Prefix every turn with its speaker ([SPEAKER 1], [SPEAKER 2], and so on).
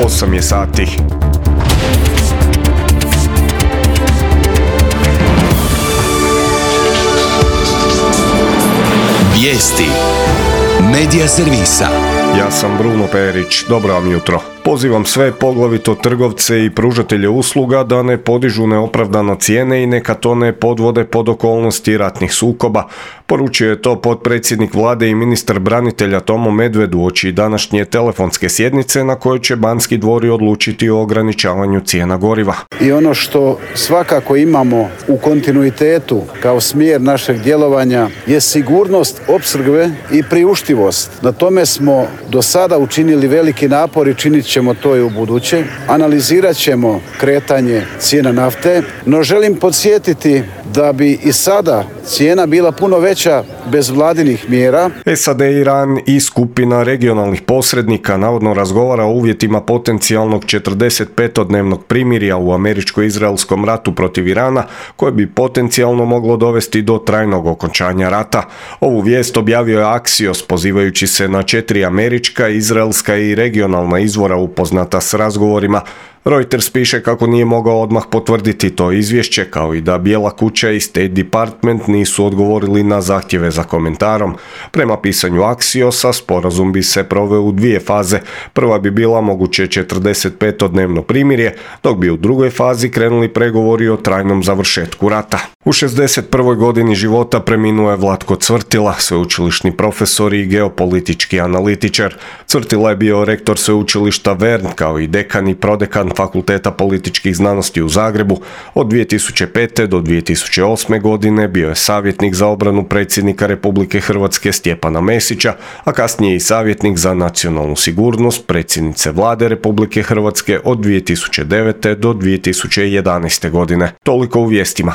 [SPEAKER 1] 8 je sati.
[SPEAKER 2] Vijesti Medija servisa.
[SPEAKER 1] Ja sam Bruno Perić, dobro vam jutro. Pozivam sve, poglavito trgovce i pružatelje usluga, da ne podižu neopravdano cijene i neka to ne podvode pod okolnosti ratnih sukoba. Poručio je to potpredsjednik vlade i ministar branitelja Tomo Medved uoči današnje telefonske sjednice na kojoj će Banski dvori odlučiti o ograničavanju cijena goriva.
[SPEAKER 3] I ono što svakako imamo u kontinuitetu kao smjer našeg djelovanja je sigurnost opskrbe i priuštivost. Na tome smo do sada učinili veliki napor i činit ćemo to i u buduće. Analizirat ćemo kretanje cijena nafte, no želim podsjetiti da bi i sada cijena bila puno veća bez vladinih mjera.
[SPEAKER 1] SAD, Iran i skupina regionalnih posrednika navodno razgovara o uvjetima potencijalnog 45-dnevnog primirja u američko-izraelskom ratu protiv Irana, koje bi potencijalno moglo dovesti do trajnog okončanja rata. Ovu vijest objavio je Axios pozivajući se na 4 američka, izraelska i regionalna izvora upoznata s razgovorima. Reuters piše kako nije mogao odmah potvrditi to izvješće, kao i da Bijela kuća i State Department nisu odgovorili na zahtjeve za komentarom. Prema pisanju Axiosa, sporazum bi se proveo u 2 faze. Prva bi bila moguće 45-dnevno primirje, dok bi u drugoj fazi krenuli pregovori o trajnom završetku rata. U 61. godini života preminuo je Vlatko Cvrtila, sveučilišni profesor i geopolitički analitičar. Cvrtila je bio rektor sveučilišta Vern, kao i dekan i prodekan Fakulteta političkih znanosti u Zagrebu. Od 2005. do 2008. godine bio je savjetnik za obranu predsjednika Republike Hrvatske Stjepana Mesića, a kasnije i savjetnik za nacionalnu sigurnost predsjednice vlade Republike Hrvatske od 2009. do 2011. godine. Toliko u vijestima.